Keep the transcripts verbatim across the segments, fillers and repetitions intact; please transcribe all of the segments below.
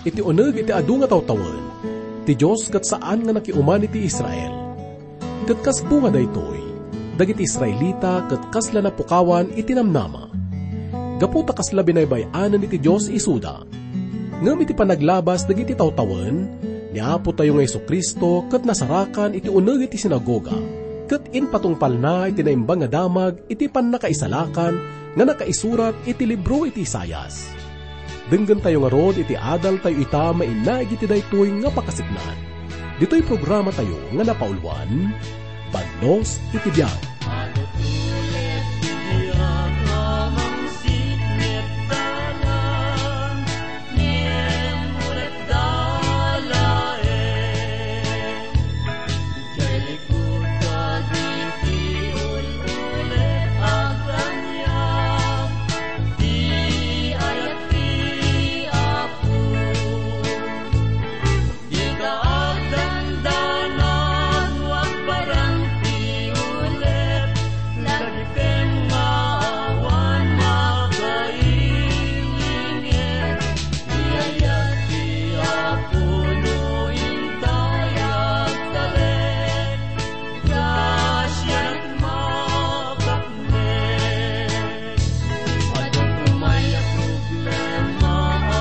Iti uneg iti adu nga tawtawen, ti Dios ket saan nga nakiuman iti Israel. Ket kas bunga daytoy, dagiti Israelita ket kasla napukawan iti namnama. Gapu ta kasla binaybay-anen iti Dios isuda. Ngem iti panaglabas dagiti tawtawen, ni Apotayo nga Jesu-Cristo ket nasarakan iti uneg iti sinagoga, ket impatungpalna iti Naimbag nga Damag iti pannakaisalakan nga nakaisurat iti libro iti Isaias. Denggentayo ngarud iti adaltayo ita mainaig iti daytoy nga pakasitnaan. Ditoy programatayo nga napauluan, Bannos iti Biag. Idiay likod dagiti ul-ulit, agkaniak ti ayat ti Apo. Dika agdandanan, no agparang ti ulep, lagipem nga awan makailingir. Idiay ayat ti Apo no intay agtalek, grasianak makapnek. Adda pay a problema a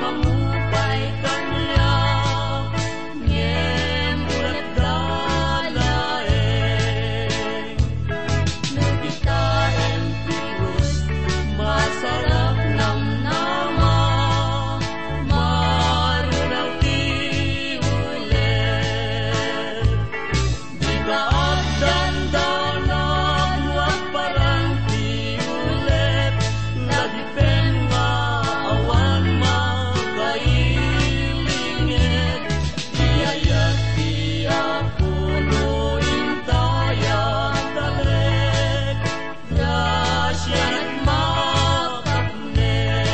mangupay kaniak, ngem ulat da laeng. No dika impiros, masarap namnama, marunak ti ulep. Dika agdandanan, no agparang ti ulep, lagipem nga awan makailingir. Idiay ayat ti Apo no intay agtalek, grasianak makapnek.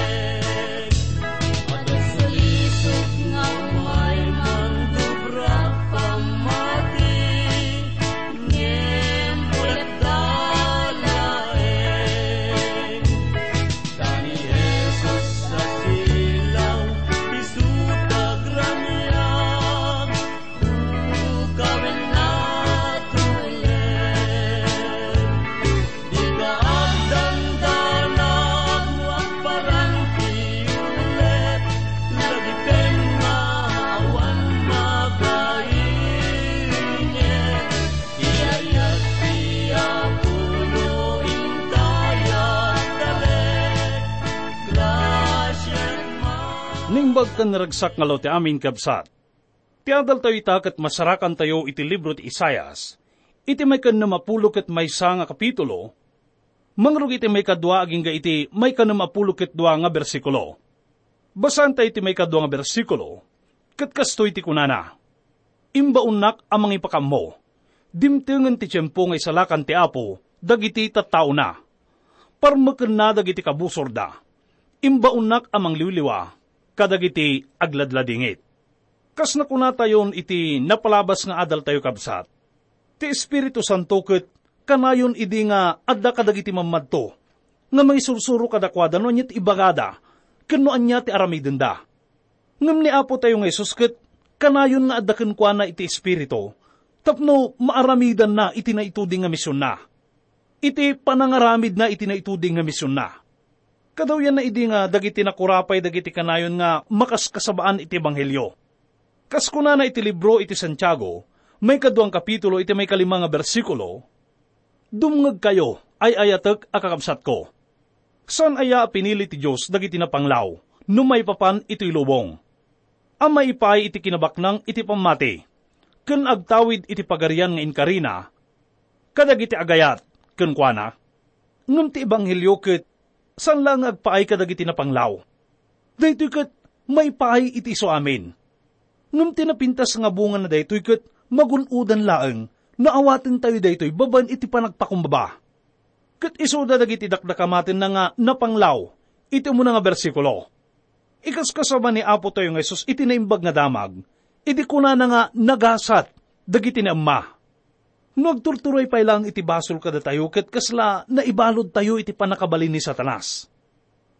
Adda salisog nga umay mandubrak pammati, ngem ulat da laeng. Da ni Jesus a silaw, isu ti agramiak, bukawen natulek. Dika agdandanan, no agparang ti ulep, lagipem nga awan makailingir. Idiay ayat ti Apo no intay agtalek, grasianak makapnek. Naimbag ken naragsak nga aldaw ti amin, kabsat. Ti adaltayo ita ket masarakantayo iti libro ti Isaias, iti maikennem a pulo ket maysa nga kapitulo, mangrugit iti maikadua agingga iti maikanem a pulo ket dua nga bersikulo. Basaentayo ti maikadua nga bersikulo, ket kastoy ti kunana, "Imbaonnak a mangipakammo. Dimtengen ti tiempo nga isalakan ti Apo dagiti tattaona. Parmekenna dagiti kabusorda. Imbaonnak a mangliwliwa kadagiti agladladingit." Kas nakunatayon iti napalabas nga adaltayo, kabsat, ti Espiritu Santo ket kanayon idi nga adda kadagiti mammadto nga mangisursuro kadakuada no ania ti ibagada ken no ania ti aramidenda. Ngem ni Apotayo nga Jesus ket kanayon nga adda kenkuana iti Espiritu tapno maaramidanna iti naituding nga misionna, iti panangaramidna iti naituding nga misionna. Kadawyanna idi nga dagiti nakurapay dagiti kanayon nga makaskasabaan iti ebanghelio. Kas kunana iti libro iti Santiago, maikaduang kapitulo iti maikalima nga bersikulo, "Dumngegkayo, ay-ayatek a kakabsatko. Saan aya a pinili ti Dios dagiti napanglaw no maipapan iti lubong, a maipaay iti kinabaknang iti pammati, ken agtawid iti pagarian nga inkarina kadagiti agayat kenkuana? Ngem ti ebanghelio ket saan laeng nga agpaay kadagiti napanglaw. Daytoy ket maipaay iti isu amin. Ngem ti napintas nga bungana daytoy ket magun-odan laeng no awatentayo daytoy babaen iti panagpakumbaba." Ket isuda dagiti dakdakamatenna nga napanglaw iti umuna nga bersikulo. Ikaskasaba ni Apotayo nga Jesus iti Naimbag nga Damag, idi kunana nga nagasat dagiti naemma. No agturturay pay laeng iti basol kadatayo ket kasla naibaludtayo iti pannakabalin ni Satanas.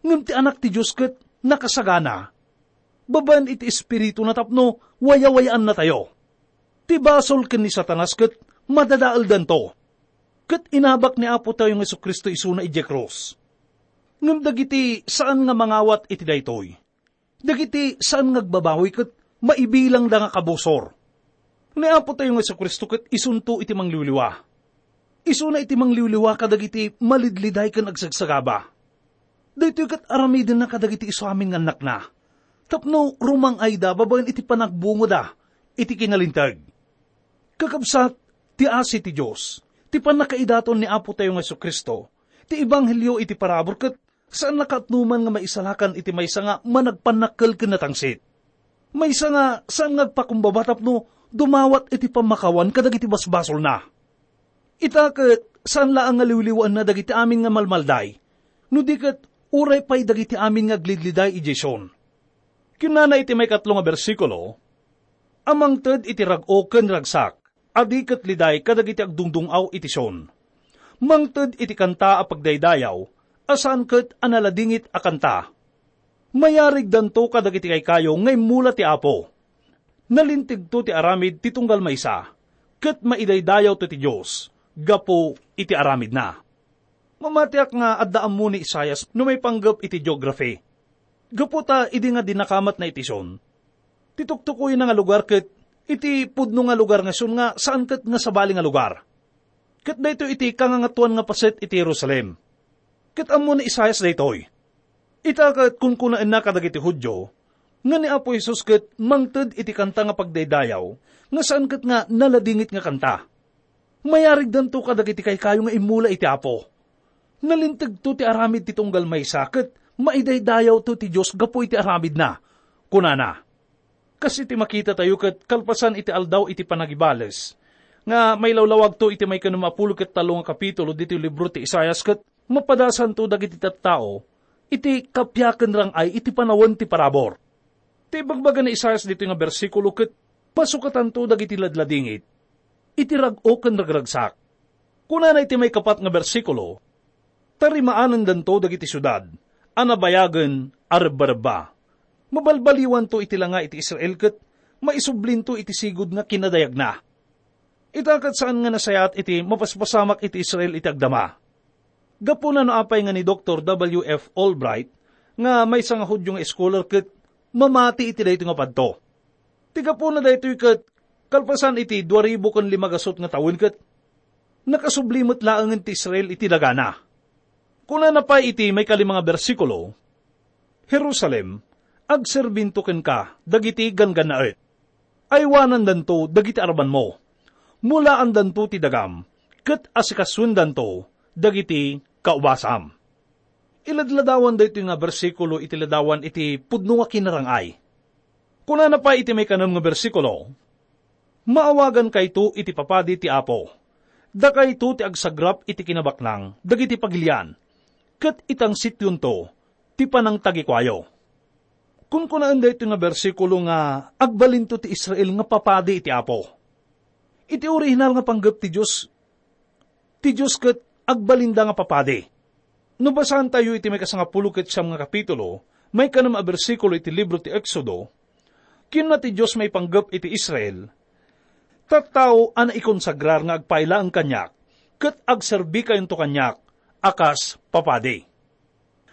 Ngem ti Anak ti Dios ket nakasagana. babaen iti Espirituna tapno wayawayaannatayo. Ti basol ken ni Satanas ket madadaeldanto. Ket inabak ni Apotayo nga Jesu-Cristo isuna idiay krus. Ngem dagiti saan nga mangawat iti daytoy, dagiti saan nga agbabawi ket maibilangda nga kabusor. Ni Apotayo nga Jesu-Cristo ket isunto iti mangliwliwa. Isuna iti mangliwliwa kadagiti malidliday ken agsagsagaba. Daytoy ket aramidenna kadagiti isu amin nga annakna, tapno rumang-ayda babaen iti panagbungoda iti kinalinteg. Kakabsat, ti asi ti Dios, ti pannakaidaton ni Apotayo nga Jesu-Cristo, ti ebanghelio iti parabur ket saan nakatnuman nga maisalakan iti maysa nga managpannakkel ken natangsit. Maysa nga saan nga agpakumbaba tapno dumawat iti pammakawan kadagiti basbasolna. Ita ket saan laeng nga liwliwaenna dagiti amin nga malmalday, no di ket uray pay dagiti amin nga aglidliday idiay Sion. Kinunana iti maikatlo nga bersikulo, a mangted iti rag-o ken ragsak, a di ket liday kadagiti agdungdung-aw iti Sion. Mangted iti kanta a pagdaydayaw, a saan ket a naladingit a kanta. Mayarigdanto kadagiti kaykayo nga immula ti Apo. Nalintegto ti aramid ti tunggal maysa, ket maidaydayawto ti Dios gapu iti aramidna. Mamatiak nga adda ammo ni Isaias no maipanggep iti geography. Gapu ta idi nga dinakamatna iti Sion, ti tuktukoyna nga lugar ket iti pudno nga lugar nga Sion nga saan ket nga sabali nga lugar. Ket daytoy iti kangangatoan nga paset iti Jerusalem. Ket ammo ni Isaias daytoy. Ita ket kunkunaenna kadagiti Judio nga ni Apo Jesus ket mangted iti kanta nga pagdaydayaw nga saan ket nga naladingit nga kanta. Mayarigdanto kadagiti kaykayo nga immula iti Apo. Nalintegto ti aramid ti tunggal maysa ket maidaydayawto ti Dios gapu iti aramidna, kunana. Kas iti makitatayo ket kalpasan iti aldaw iti panagibales, nga mailawlawagto iti maikanem a pulo ket tallo nga kapitulo ditoy libro ti Isaias ket mapadasanto dagiti tattao iti kappia ken rang-ay iti panawen ti parabur. Ti ibagbaga ni Isaias ditoy nga bersikulo ket pasukatanto dagiti ladladingit iti rag-o ken ragragsak. Kunana iti maikapat nga bersikulo, "Tarimaanendanto dagiti siudad a nabayagen a rebbarebba. Mabalbaliwanto iti langa iti Israel ket maisublinto iti sigud nga kinadayagna." Ita ket saan nga nasayaat iti mapaspasamak iti Israel iti agdama. Gapuna no apay nga ni Doktor W F Albright, nga maysa nga Judio nga scholar ket mamati iti daytoy nga padto. Ti gapuna daytoy ket kalpasan iti dua ribu ken lima gasut nga tawen ket nakasubli met laengen ti Israel iti dagana. Kunana pay iti maikalima nga bersikulo, "Jerusalem, agserbinto kenka dagiti ganggannaet. Aywanandanto dagiti arabanmo. Mulaandanto ti dagam, ket asikasuendanto dagiti kaubasam." Iladladawan daytoy nga bersikulo iti ladawan iti pudno nga kinarang-ay. Kunana pay iti maikanem nga bersikulo, "Maawagankayto iti papadi ti Apo. Dakayto ti agsagrap iti kinabaknang dagiti pagilian, ket itansityonto ti panangtagikuayo." Kunkunaen daytoy nga bersikulo nga agbalinto ti Israel nga papadi iti Apo. Iti orihinal nga panggep ti Dios, ti Dios ket agbalinda nga papadi. No basaantayo iti maikasangapulo ket siam nga kapitulo, maikanem a bersikulo iti libro ti Exodo, kinuna ti Dios maipanggep iti Israel, "Tattao a naikonsagrar nga agpailaeng kaniak, ket agserbikayonto kaniak a kas papadi."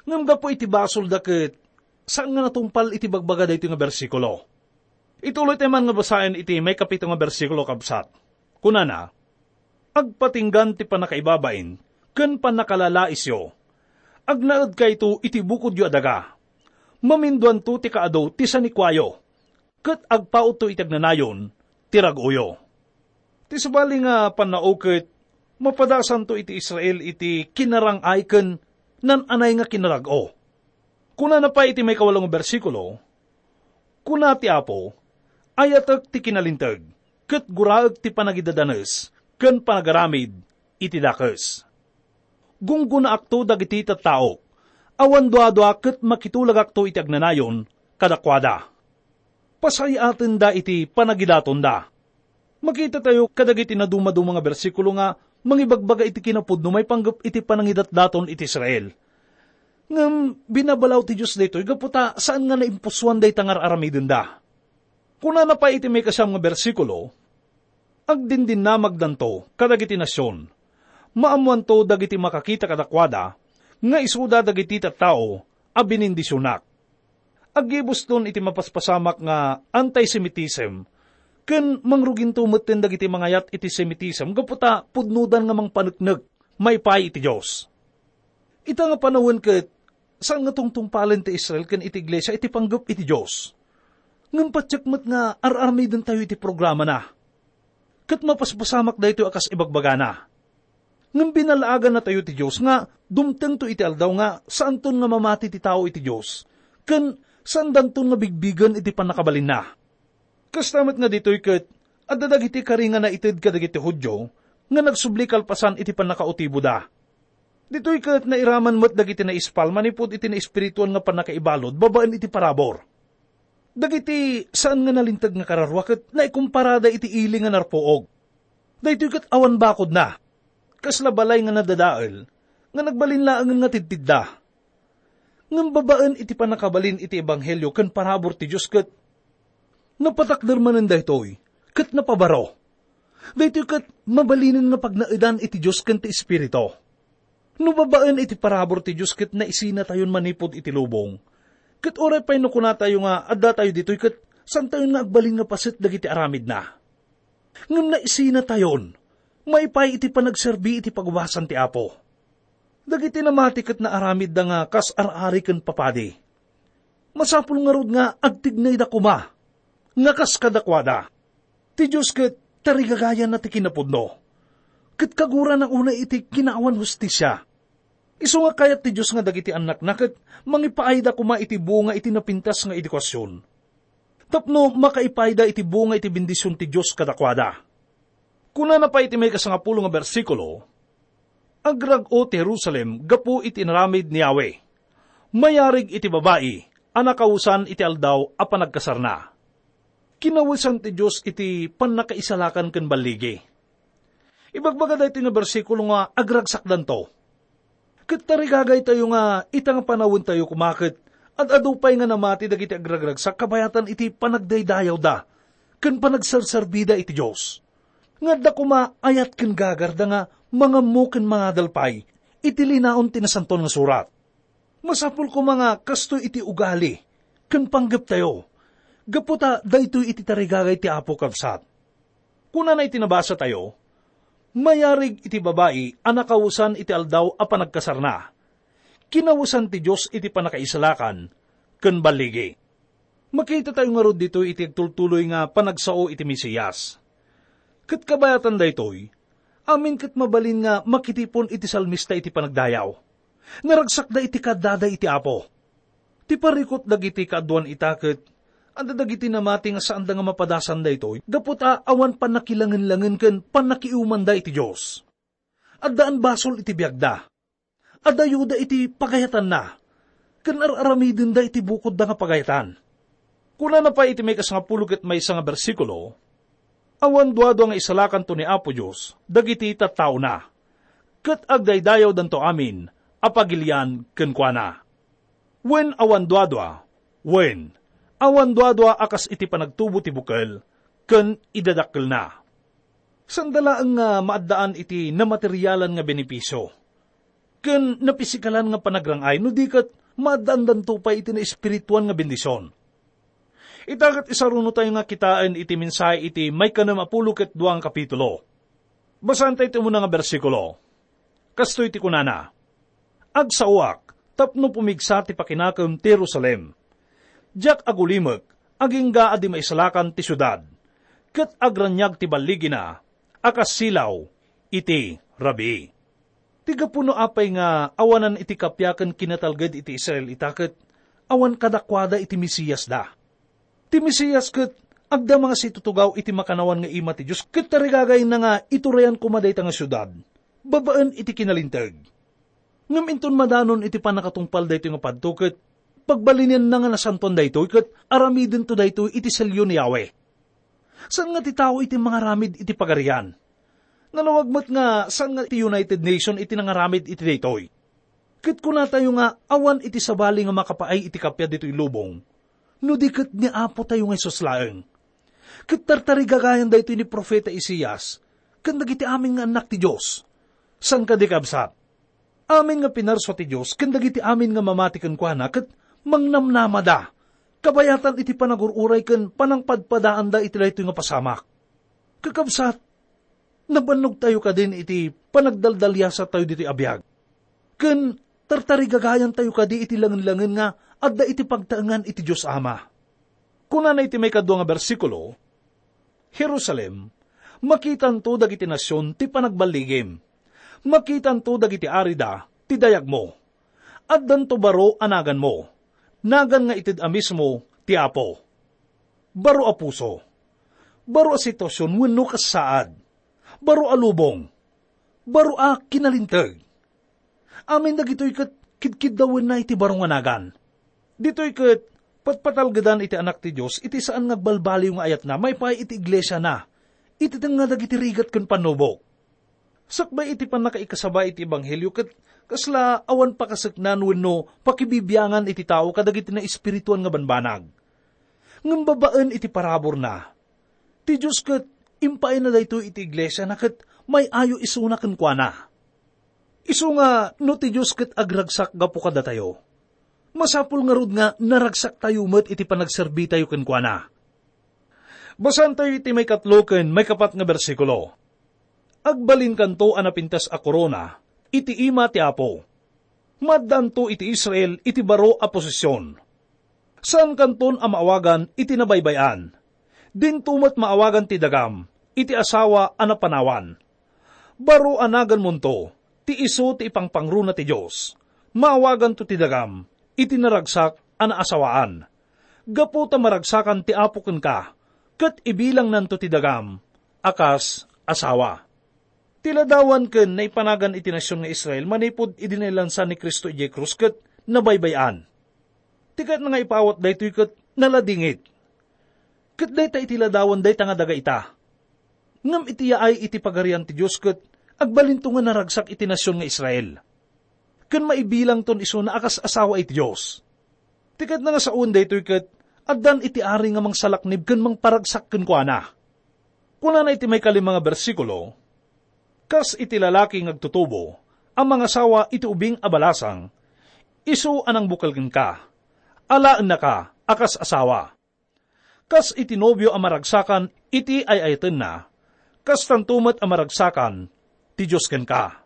Ngem gapu iti basolda ket saan nga natungpal iti bagbaga daytoy nga bersikulo. Ituloytayo man nga basaen iti maikapito nga bersikulo, kabsat. Kunana, "Agpatinggan ti pannakaibabain ken pannakalalaisyo. Agnaedkayto iti bukodyo a daga. Maminduanto ti kaadu ti sanikuayo, ket agpautto iti agnanayon ti rag-oyo." Ti sabali nga pannao ket mapadasanto iti Israel iti kinarang-ay ken nan-anay nga kinarag-o. Kunana pay iti maikawalo nga bersikulo, "Kuna ti Apo, ayatek ti kinalinteg, ket guraek ti panagidadanes ken panagaramid iti dakes. Gunggonaakto dagiti tattaok, awan duadua ket makitulagakto iti agnanayon kadakuada. Pasayaatenda iti panagidatonda." Makitatayo kadagiti nadumaduma nga bersikulo nga mangibagbaga iti kinapudno maipanggep iti panangidatdaton iti Israel. Ngem binabalaw ti Dios daytoy gapu ta saan nga naimpusoan dayta nga ar-aramidenda. Kunana pay iti maikasiam nga bersikulo, "Agdindinnamagdanto kadagiti nasion. Maammoanto dagiti makakita kadakuada nga isuda dagiti tattao a binindisionak." Aggibuston iti mapaspasamak nga anti-Semitism ken mangruginto metten dagiti mangayat iti Semitism gapu ta pudnodan nga mangpaneknek maipaay iti Dios. Ita nga panawen ket saan nga tungtungpalen ti Israel ken iti iglesia iti panggep iti Dios. Ngem patiek met nga ar-aramidentayo iti programana. Ket mapaspasamak daytoy a kas ibagbagana. Ngem binalaagannatayo ti Dios nga dumtengto iti aldaw nga saanton nga mamati ti tao iti Dios, ken saandanton nga bigbigen iti pannakabalinna. Kasta met nga ditoy ket adda dagiti kari nga naited kadagiti Judio nga nagsubli kalpasan iti pannakautiboda. Ditoy ket nairaman met dagiti naispal manipud iti naespirituan nga pannakaibalud babaen iti parabur. Dagiti saan nga nalinteg nga kararua ket naikomparada iti ili nga narpuog. Daytoy ket awan bakodna. Kasla balay nga nadadael nga nagbalin laengen nga tidtidda. Ngem babaen iti pannakabalin iti ebanghelio ken parabur ti Dios ket napatakder manen daytoy ket napabaro. Daytoy ket mabalinen nga pagnaedan iti Dios ken ti Espiritu. No babaen iti parabur ti Dios ket naisinatayon manipud iti lubong, ket uray pay no kunatayo nga addatayo ditoy ket saantayon nga agbalin nga paset dagiti aramidna. Ngem naisinatayon, maipaay iti panagserbi iti pagubasan ti Apo. Dagiti namati ket naaramidda nga kas ar-ari ken papadi. Masapul ngarud nga agtignayda koma nga kas kadakuada. Ti Dios ket tarigagayanna ti kinapudno, ket kagurana unay iti kinaawan hustisia. Isu nga kayat ti Dios nga dagiti annakna ket mangipaayda koma iti bunga iti napintas nga edukasyon, tapno makaipayda iti bunga iti bendision ti Dios kadakuada. Kunana pay iti maikasangapulo nga bersikulo, "Agrag-o ti Jerusalem gapu iti inaramid ni Yahweh. Mayarig iti babai a nakawesan iti aldaw a panagkasarna. Kinawesan ti Dios iti pannakaisalakan ken balligi." Ibagbaga daytoy nga bersikulo nga agragsakdanto. Ket tarigagaytayo nga ita nga panawentayo koma ket ad-adu pay nga namati dagiti agragragsak kabayatan iti panagdaydayawda ken panagserserbida iti Dios. Nga adda koma ayat ken gagarda nga mangammo ken mangadal pay iti linaon ti Nasantoan nga Surat. Masapul koma nga kastoy iti ugali ken panggeptayo, gapu ta daytoy iti tarigagay ti Apo, kabsat. Kunana iti nabasatayo, "Mayarig iti babai a nakawesan iti aldaw a panagkasarna. Kinawesan ti Dios iti pannakaisalakan ken balligi." Makitatayo ngarud ditoy iti agtultuloy nga panagsao iti Mesias. Ket kabayatan daytoy, amin ket mabalin nga makitipon iti salmista iti panagdayaw. Naragsakda iti kaddada iti Apo. Ti parikut dagiti kaaduan ita ket adda dagiti namati nga saanda nga mapadasan daytoy gapu ta awan pannakilangenlangen ken pannakiumanda iti Dios. Addaan basol iti biagda. Adayoda iti pagayatanna, ken ar-aramidenda iti bukodda nga pagayatan. Kunana pay iti maikasangapulo ket maysa nga bersikulo, "Awan duadua nga isalakanto ni Apo Dios dagiti tattaona, ket agdaydayawdanto amin a pagilian kenkuana." Wen awan duadua, wen, awan duadua a kas iti panagtubo ti bukel ken idadakkelna. Saanda laeng nga maaddaan iti namaterialan nga benepisio ken napisikalan nga panagrang-ay no di ket maaddaandanto pay iti naespirituan nga bendision. Ita ket isarunotayo nga kitaen iti mensahe iti maikanem a pulo ket dua nga kapitulo. Basaentayo ti umuna nga bersikulo. Kastoy ti kunana, "Agsaoak tapno pumigsa ti pakinakem ti Jerusalem. Diak agulimek agingga a di maisalakan ti siudad, ket agraniag ti balligina a kas silaw iti rabii." Ti gapu no apay nga awanan iti kappia ken kinatalged iti Israel ita ket awan kadakuada iti Mesiasda. Ti Mesias ket agdama nga situtugaw iti makannawan nga ima ti Dios ket tarigagayna nga iturayan koma dayta nga siudad babaen iti kinalinteg. Ngem inton madanon iti pannakatungpal daytoy nga padto ket pagbalinenna nga nasantoan daytoy ket aramidento daytoy iti selyo ni Yahweh. Saan nga ti tao iti mangaramid iti Pagarian. Nalawag met nga saan nga ti United Nation iti nangaramid iti daytoy. Ket kunatayo nga awan iti sabali nga makapaay iti kappia ditoy lubong, no di ket ni Apotayo nga Jesus laeng. Ket tartarigagayan daytoy ni Profeta Isaias ken dagiti amin nga annak ti Dios. Saan kadi, kabsat? Amin nga pinarsua ti Dios ken dagiti amin nga mamati kenkuana ket mangnamnamada, kabayatan iti panagur-uray ken panangpadpadaanda iti daytoy nga pasamak. Kakabsat, nabannogtayo kadin iti panagdaldaliasattayo ditoy a biag. Ken tartarigagayantayo kadi iti langenlangen nga adda iti pagtaengan iti Dios Ama. Kunana iti maikadua nga bersikulo, "Jerusalem, makitanto dagiti nasion ti panagballigim. Makitanto dagiti arida ti dayagmo. Addanto baro a naganmo. Nagan nga ited a mismo ti Apo. Baro a puso. Baro a sitwasion wenno kas saad. Baro a lubong. Baro a kinalinteg." Amin dagitoy ket kidkiddawenna iti baro nga nagan. Ditoy ket patpatalgedan iti Anak ti Dios iti saan nga agbalbaliw nga ayatna maipaay iti iglesiana, iti tengnga dagiti rigat ken pannubok. Sakbay iti pannakaikasaba iti ebanghelio ket kasla awan pakaseknan wenno pakibibiangan iti tao kadagiti naespirituan nga banbanag. Ngem babaen iti paraburna, ti Dios ket impaayna daytoy iti iglesiana ket may-ayo isuna kenkuana. Isu nga no ti Dios ket agragsak gapu kadatayo, masapul ngarud nga naragsaktayo met iti panagserbitayo kenkuana. Basaentayo iti maikatlo ken maikapat nga bersikulo. "Agbalinkanto a napintas a korona iti ima ti Apo. Maaddaanto iti Israel iti baro a posesion. Saankanton a maawagan iti nabaybay-an. Dinto met maawagan ti dagam iti asawa a napanawan. Baro a naganmonto ti isu ti ipangpangruna ti Dios. Maawaganto ti dagam iti naragsak a naasawaan. Gapu ta maragsakan ti Apo kenka, ket ibilangnanto ti dagam a kas asawa." Ti ladawan ken naipanagan iti nasion nga Israel manipud idi nailansa ni Cristo idiay krus ket nabaybay-an. Ti kayatna nga ipaawat daytoy ket naladingit. Ket dayta iti ladawan dayta nga daga ita. Ngem iti yaay iti Pagarian ti Dios ket agbalinto nga naragsak iti nasion nga Israel. Ken maibilangton isuna a kas asawa iti Dios. Ti kayatna nga sawen daytoy ket addan iti ari nga mangsalaknib ken mangparagsak kenkuana. Kunana iti maikalima nga bersikulo, "Kas iti lalaki nga agtutubo a mangasawa iti ubing a balasang, isu a nangbukel kenka, alaennaka a kas asawa. Kas iti nobio a maragsakan iti ay-ayatenna, kastanto met a maragsakan ti Dios kenka."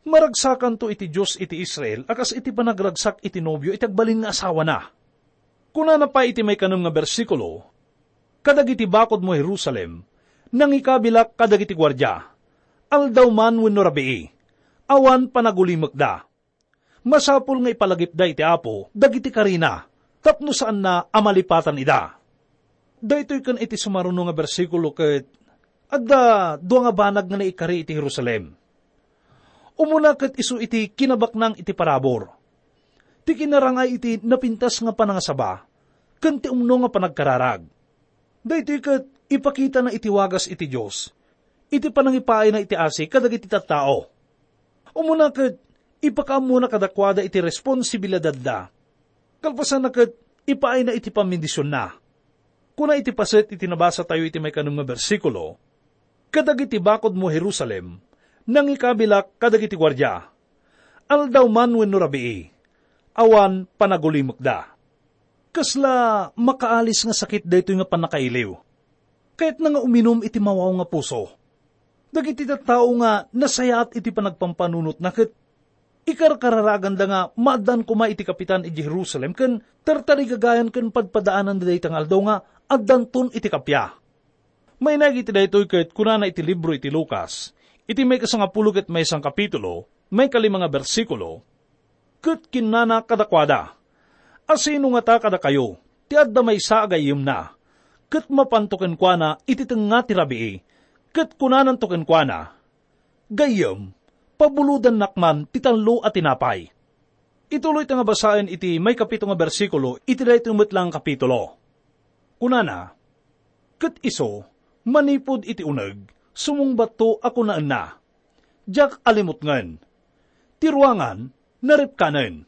Maragsakanto iti Dios iti Israel a kas iti panagragsak iti nobio iti agbalin nga asawana. Kunana pay iti maikanem nga bersikulo, "Kadagiti bakodmo, Jerusalem, nangikabilak kadagiti guardia, aldaw man wenno rabii, awan panagulimekda. Masapul nga ipalagipda iti Apo dagiti karina tapno saanna a malipatan ida." Daytoy ken iti sumaruno nga bersikulo ket adda dua nga banag nga naikari iti Jerusalem. Umuna ket isu iti kinabaknang iti parabur, ti kinarangay iti napintas nga panangasaba, ken ti umno nga panagkararag. Daytoy ket ipakitana iti wagas iti Dios, iti panangipaayna iti asi kadagiti tattao. Umuna ket ipakaammona kadakuada iti responsibilidadda. Kalpasanna ket ipaayna iti pamendisionna. Kuna iti paset iti nabasatayo iti maikanem nga bersikulo, "Kadagiti bakodmo, Jerusalem, nangikabilak kadagiti guardia, aldaw man wenno rabii, awan panagulimekda." Kasla makaalis nga sakit daytoy nga pannakailiw. Kayatna nga uminum iti mawaw nga puso. Dagiti tattao nga nasayaat iti panagpampanunotna ket ikarkararaganda nga maaddan koma iti kapitan idiay Jerusalem ken tartarigagayan ken padpadaananda dayta nga aldaw nga addanton iti kappia. Mainaig iti daytoy ket kunana iti libro iti Lucas, iti maikasangapulo ket maysa nga kapitulo, maikalima nga bersikulo, ket kinunana kadakuada, "Asino ngata kadakayo ti adda maysa a gayyemna, ket mapanto kenkuana iti tengnga ti rabii, ket kunananto kenkuana, 'Gayyem, pabulodannak man ti tallo a tinapay'?" Ituloyta nga basaen iti maikapito nga bersikulo iti daytoy met la nga kapitulo. Kunana, "Ket isu, manipud iti uneg, sumungbatto a kunaenna, 'Diak alimutngen.' Ti ruangan, Naripkanen.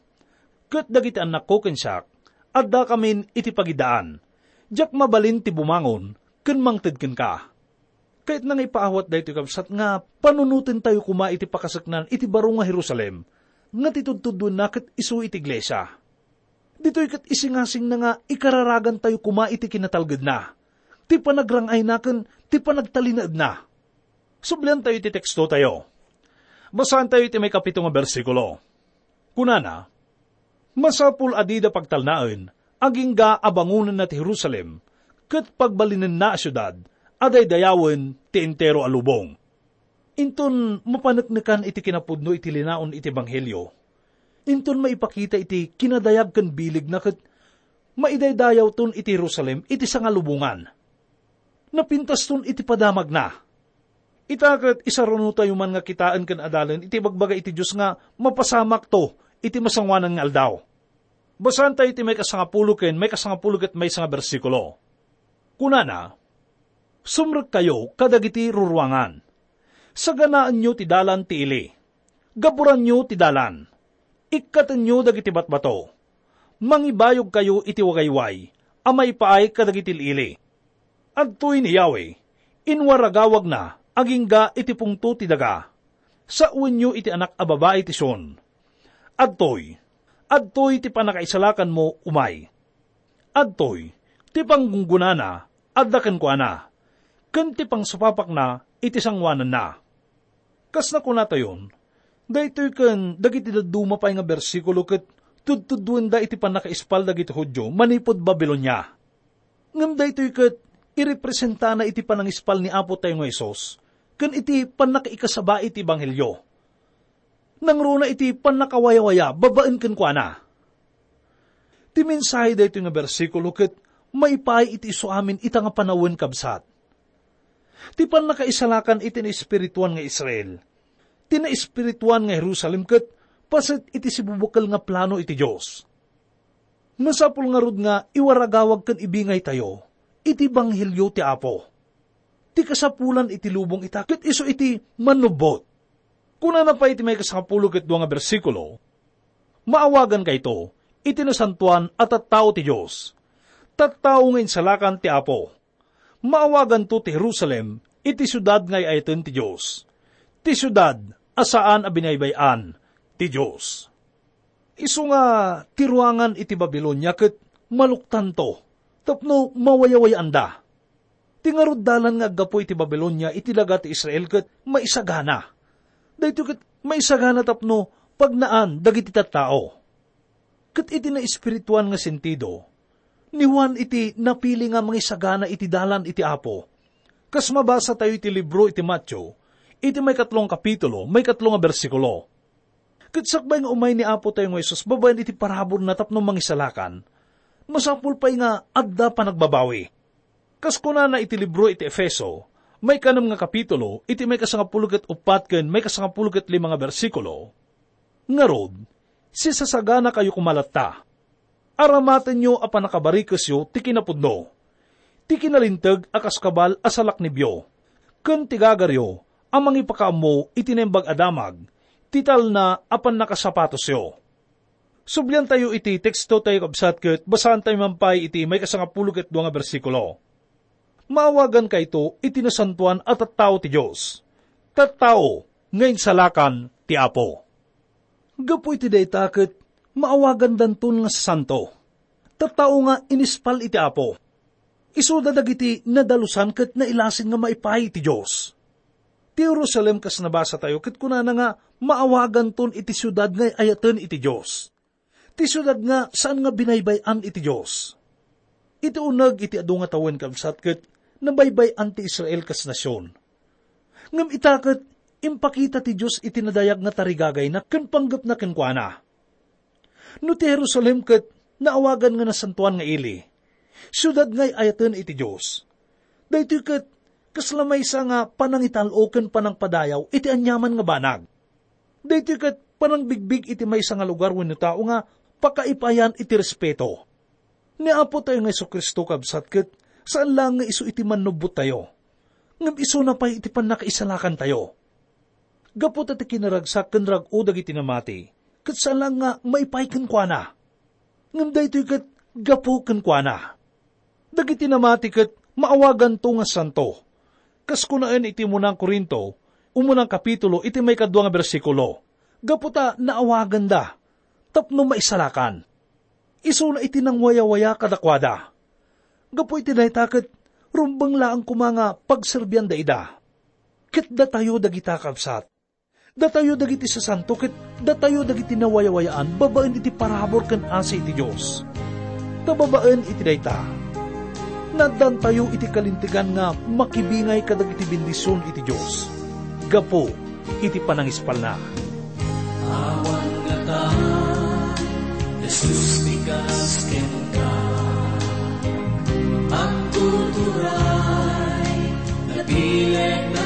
Ket dagiti annakko ken siak, addakamin iti pagidaan. Diak mabalin ti bumangon ken mangted kenka. Kayatna nga ipaawat daytoy, kabsat, nga panunotentayo koma iti pakaseknan iti baro nga Jerusalem, nga ti tudtuddoenna ket isu iti iglesia. Ditoy ket isingasingna nga ikararagantayo koma iti kinatalgedna, ti panagrang-ayna ken ti panagtalinaedna. Subliantayo iti tekstotayo. Basaentayo iti maikapito nga bersikulo. Kunana, "Masapul a dida pagtalnaen, agingga a bangonenna ti Jerusalem, ket pagbalinenna a siudad a daydayawen ti entero a lubong." Inton mapaneknekan iti kinapudno iti linaon iti ebanghelio, inton maipakita iti kinadayag ken bilegna ket maidaydayawton iti Jerusalem iti sangalubongan. Napintaston iti padamagna. Ita ket isarunotayo man nga kitaen ken adalen iti ibagbaga iti Dios nga mapasamakto iti masangoanan nga aldaw. Basaentayo iti maikasangapulo ken maikasangapulo ket maysa nga bersikulo. Kunana, "Sumrekkayo kadagiti ruruangan. Saganaenyo ti dalan ti ili. Gaburanyo ti dalan. Ikkatenyo dagiti batbato. Mangibayogkayo iti wagayway a maipaay kadagiti ili-ili. Adtoy ni Yahweh, inwaragawagna agingga iti pungto ti daga. Sawenyo iti anak a babai ti Sion. Adtoy, adtoy ti pannakaisalakanmo umay. Adtoy ti panggunggonana adda kenkuana, ken ti pangsupapakna iti sangoananna." Kas nakunatayon, daytoy ken dagiti dadduma pay nga bersikulo ket tudtuddoenda iti pannakaispal dagiti Judio manipud Babilonia. Ngem daytoy ket irepresentana iti panangispal ni Apotayo nga Jesus ken iti pannakaikasaba iti ebanghelio. Nangruna iti pannakawayawaya babaen kenkuana. Ti mensahe daytoy nga bersikulo ket maipaay iti isu amin ita nga panawen, kabsat. Ti pannakaisalakan iti naespirituan nga Israel, ti naespirituan nga Jerusalem ket paset iti sibubukel nga plano iti Dios. Masapul ngarud nga iwaragawag ken ibingaytayo iti ebanghelio ti Apo. Ti kasapulan iti lubong ita ket isu iti mannubbot. Kunana pay iti maikasangapulo ket dua nga bersikulo, "Maawagankayto iti nasantoan a tattao ti Dios, tattao nga insalakan ti Apo. Maawaganto ti Jerusalem iti siudad nga ay-ayaten ti Dios, ti siudad a saan a binaybay-an ti Dios." Isu nga ti ruangan iti Babilonia ket maluktanto tapno mawayawayaanda. Ti ngarud dalan nga aggapu iti Babilonia iti daga ti Israel ket maisagana. Daytoy ket maisagana tapno pagnaan dagiti tattao. Ket iti naespirituan nga sentido, ni Juan iti napili nga mangisagana iti dalan iti Apo. Kas mabasatayo iti libro iti Mateo, iti maikatlo nga kapitulo, maikatlo nga bersikulo. Ket sakbay nga umay ni Apotayo nga Jesus babaen iti paraburna tapno mangisalakan, masapul pay nga adda panagbabawi. Kas kunana iti libro iti Efeso, maikanem nga kapitulo, iti maikasangapulo ket uppat ken maikasangapulo ket lima nga bersikulo, "Ngarud, sisasaganakayo koma latta. Aramatenyo a pannakabarikesyo ti kinapudno, ti kinalinteg a kas kabal a salaknibyo, ken ti gagaryo a mangipakaammo iti Naimbag a Damag, ti talna a pannakasapatosyo." Subliantayo iti tekstotayo, kabsat, ket basaantayo man pay iti maikasangapulo ket dua nga bersikulo. "Maawagankayto iti nasantoan a tattao ti Dios, tattao nga insalakan ti Apo." Gapu iti dayta ket maawagandanton nga santo, tattao nga inispal iti Apo. Isuda dagiti nadalusan ket nailasin nga maipaay iti Dios. Ti Jerusalem, kas nabasatayo, ket kunana nga maawaganton iti siudad nga ay-ayaten iti Dios, ti siudad nga saan nga binaybay-an iti Dios. Iti uneg iti adu nga tawen, kabsat, ket nabaybay-an ti Israel kas nasion. Ngem ita ket impakita ti Dios iti nadayag nga tarigagayna ken panggepna kenkuana. No ti Jerusalem ket naawagan nga nasantoan nga ili, siudad nga ay-ayaten iti Dios, daytoy ket kasla maysa nga panangital-o ken panangpadayaw iti aniaman nga banag. Daytoy ket panangbigbig iti maysa nga lugar wenno tao nga pakaipayan iti respeto. Ni Apotayo nga Jesu-Cristo, kabsat, ket saan laeng nga isu iti mannubbottayo, ngem isuna pay iti pannakaisalakantayo. Gapu ta ti kinaragsak ken rag-o dagiti namati, ket saan laeng nga maipaay kenkuana. Ngem daytoy ket gapu kenkuana. Dagiti namati ket maawaganto nga santo. Kas kunaen iti umuna Corinto, umuna kapitulo iti maikadua nga bersikulo, gapu ta naawaganda tapno maisalakan. Isuna iti nangwayawaya kadakuada. Gapu iti dayta ket rumbeng laeng koma nga pagserbianda ida. Ket datayo dagita, kabsat, datayo dagiti sasanto ket datayo dagiti nawayawayaan babaen iti parabur ken asi iti Dios. Ta babaen iti dayta, naaddantayo iti kalintegan nga makibingay kadagiti bendision iti Dios gapu iti panangispalna. Awan ngata, Jesus, ti kas kenka. Agtuturay, napileg